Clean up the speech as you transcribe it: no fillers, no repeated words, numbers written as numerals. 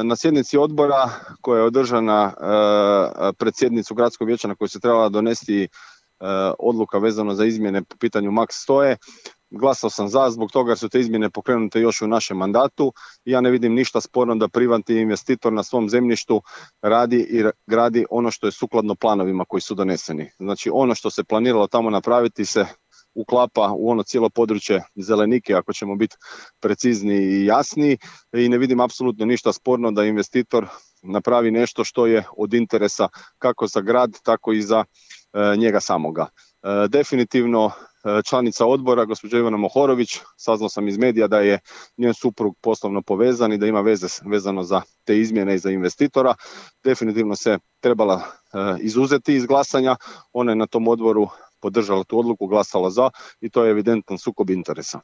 na sjednici odbora koja je održana pred sjednicu gradskog vijeća na kojoj se trebala donesti odluka vezano za izmjene po pitanju Max 100, glasao sam za zbog toga jer su te izmjene pokrenute još u našem mandatu. Ja ne vidim ništa sporno da privatni investitor na svom zemljištu radi i gradi ono što je sukladno planovima koji su doneseni. Znači ono što se planiralo tamo napraviti se uklapa u ono cijelo područje Zelenike, ako ćemo biti precizni i jasni, i ne vidim apsolutno ništa sporno da investitor napravi nešto što je od interesa kako za grad, tako i za njega samoga. Definitivno članica odbora, gospođa Ivana Mohorović, saznao sam iz medija da je njen suprug poslovno povezan i da ima veze vezano za te izmjene i za investitora. Definitivno se trebala izuzeti iz glasanja. Ona je na tom odboru podržala tu odluku, glasala za i to je evidentan sukob interesa.